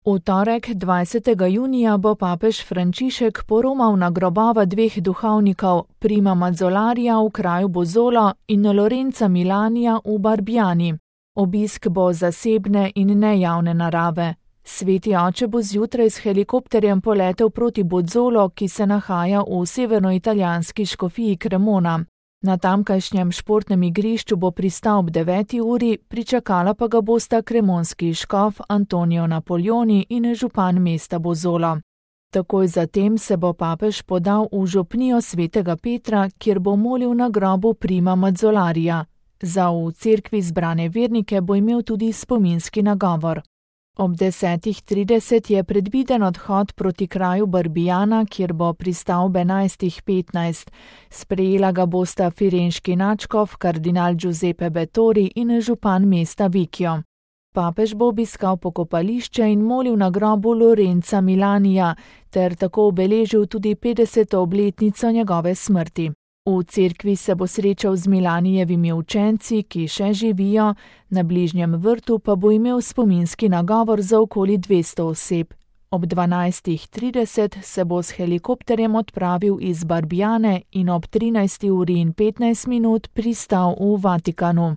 V torek 20. junija bo papež Frančišek poromal na grobova dveh duhovnikov, Prima Mazzolarija v kraju Bozzolo in Lorenza Milanija v Barbiani. Obisk bo zasebne in nejavne narave. Sveti oče bo zjutraj s helikopterjem poletel proti Bozzolo, ki se nahaja v severnoitalijanski škofiji Cremona. Na tamkajšnjem športnem igrišču bo pristal ob 9. uri, pričakala pa ga bosta cremonski škof Antonio Napoleoni in župan mesta Bozzolo. Takoj zatem se bo papež podal v župnijo svetega Petra, kjer bo molil na grobu Prima Mazzolarija. Za v cerkvi zbrane vernike bo imel tudi spominski nagovor. Ob 10.30 je predviden odhod proti kraju Barbiana, kjer bo pristal ob 11.15. Sprejela ga bosta firenški nadškof kardinal Giuseppe Bettori in župan mesta Vicchio. Papež bo obiskal pokopališče in molil na grobu Lorenza Milanija, ter tako obeležil tudi 50. obletnico njegove smrti. V cerkvi se bo srečal z Milanijevimi učenci, ki še živijo, na bližnjem vrtu pa bo imel spominski nagovor za okoli 200 oseb. Ob 12.30 se bo s helikopterjem odpravil iz Barbiane in ob 13.15 pristal v Vatikanu.